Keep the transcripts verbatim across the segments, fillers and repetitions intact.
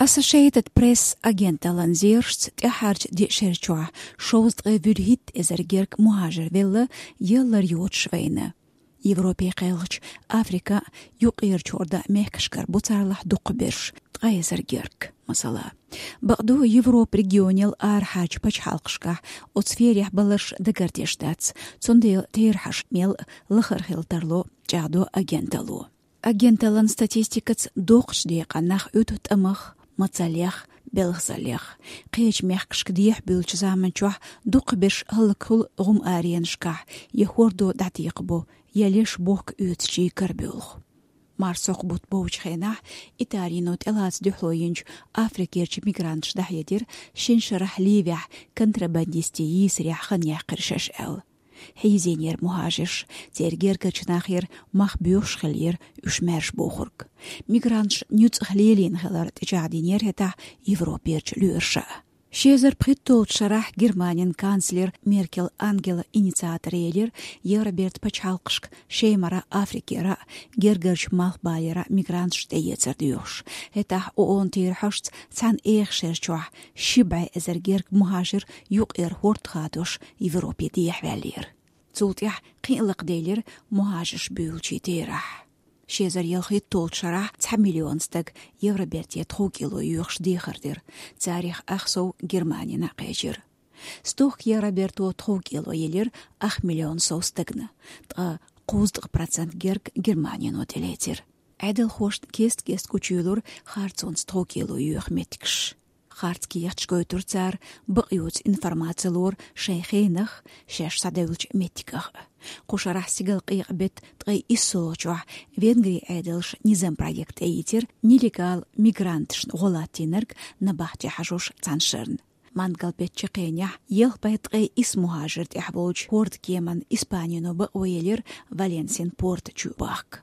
Associated Press агенталлан зерашца, тӀаьххьарчу диъ шерчохь шовзткъе вуьрхӀитта эзар герга мухӀажир велла, яллар йоцуш вайна. Европе кхелхачу, Африка, юккъерачу хӀордан мехкашкара бу царлахь дукхахберш, ткъа эзар герга, масала. Бакъду, Европа регионал арахьарчу пачхьалкхашкахь оцу сферехь баларш дагардеш дац, цундела терахьаш мел лахара хила тарло, чӀагӀдо агенталло. Агенталлан статистикаца доккхачу декъана нах Ӏуьту тӀамах, мацаллех, белхазаллех. Кхечу мехкашка дехьабуьллучу заманчохь дукхахберш хӀаллакьхуьлу гӀум-аренашкахь, я хӀордо дӀатекхабо, я леш бохка оьцучийн карабуьллу. Марсхьокху бутт бовчу хенахь Италино тӀелаца дуьхьало йинчу Африкерчу мигранташ дӀахьедира шина шарахь Ливехь контрабандистийн йийсарехь хан яьккхира шаьш аьлла. Хьийзийнера мухӀажирш, церан гергарчу нахера мах боьхуш хиллера уьш маьрша бохург. Мигранташ нуьцкъах лелийна хилар тӀечӀагӀдинера хӀетахь Европерчу лоьраша. Ши эзар пхийтталгӀачу шарахь Германин канцлер Меркел Ангела инициатор елира Евробертан пачхьалкхашка Шемара, Африкера, гергарчу Малхбалера мигранташ тӀеэцар доьхуш. ХӀетахь ООН-ан терахьашца цхьана эха шерчохь ши бӀе эзар герга мухӀажир юккъера хӀорд хадош Европе дехьаваьллера. Цул тӀаьхьа кхин а лакхаделира мухӀажирш буьйлучийн терахь. Ши эзар ялхитталгӀачу шарахь цхьа миллион стаг Евроберте тховкӀело йоьхуш дехар дира, царах ах сов Германина кхечира. Стохка Евроберто тховкӀело елира ах миллион сов стагана, ткъа кхузткъа процент герга Германино тӀелецира. Ӏедалхошна кест-кеста гучуйолура харцонца тховкӀело йоьху меттигаш. Харц кехаташ гойтура цара, бакъ йоцу информаци лора шайн хенах, шаьш схьадевллачу меттигах. Кху шарахь стигалкъекъа беттан ткъе иссолгӀачохь Венгрин Ӏедалша низам проект тӀеийцира нелегал мигранташна гӀо латтийнарг набахте хьажош цхьана шарна. Мангал беттан чаккхенехь ялх бӀе ткъе исс мухӀажир тӀехь волчу хӀордан кеман Испанино бакъо елира Валенсин порта чу бахка.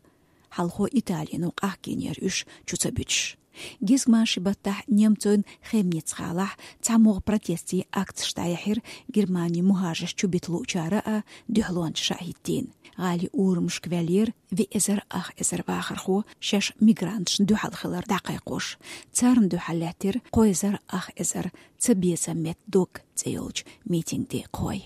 Хьалхо Италино къахкийнера уьш чу ца буьтуш. Гезгмашин баттахь немцойн Хемниц-гӀалахь цхьамогӀа протестийн акцеш дӀаяьхьира Германин мухӀажирш чубита луучара а, дуьхьалончаша а хӀиттийна. ГӀалин урамашка ваьллера виъ эзар ах эзар вахархо, шаьш мигранташна дуьхьал хилар дӀакхайкхош. Царна дуьхьал лаьттира кхо эзар ах эзар «Ца безам метта дог» цӀе йолчу митинган декъахой.